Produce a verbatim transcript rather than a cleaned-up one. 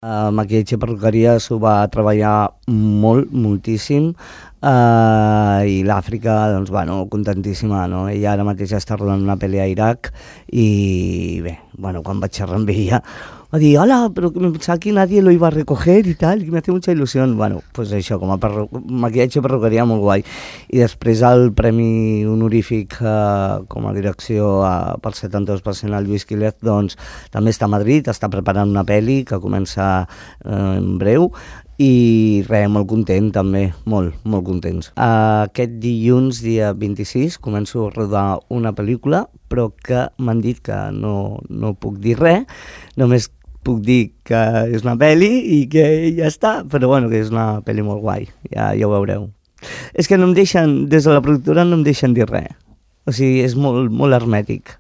Uh, maquillatge i perruqueria s'ho va treballar molt, moltíssim, uh, i l'Àfrica, doncs, bueno, contentíssima, no? Ella ara mateix està rodant una pel·li a Iraq i, bé, bueno, quan vaig xerrar amb ella, va dir, hola, però que me pensaba que nadie lo iba a recoger i tal, que me hace mucha ilusión. Bueno, pues això, com a perru... maquillatge i perruqueria, molt guai. I després el premi honorífic eh, com a direcció eh, pel setanta-dos per cent al Lluís Quílez, doncs també està a Madrid, està preparant una pel·li que comença eh, en breu, i res, molt content també, molt, molt contents. Aquest dilluns, dia vint-i-sis, començo a rodar una pel·lícula, però que m'han dit que no, no puc dir res, només puc dir que és una pel·li i que ja està, però bueno, que és una pel·li molt guai, ja, ja ho veureu. És que no em deixen, des de la productora no em deixen dir res, o sigui, és molt, molt hermètic.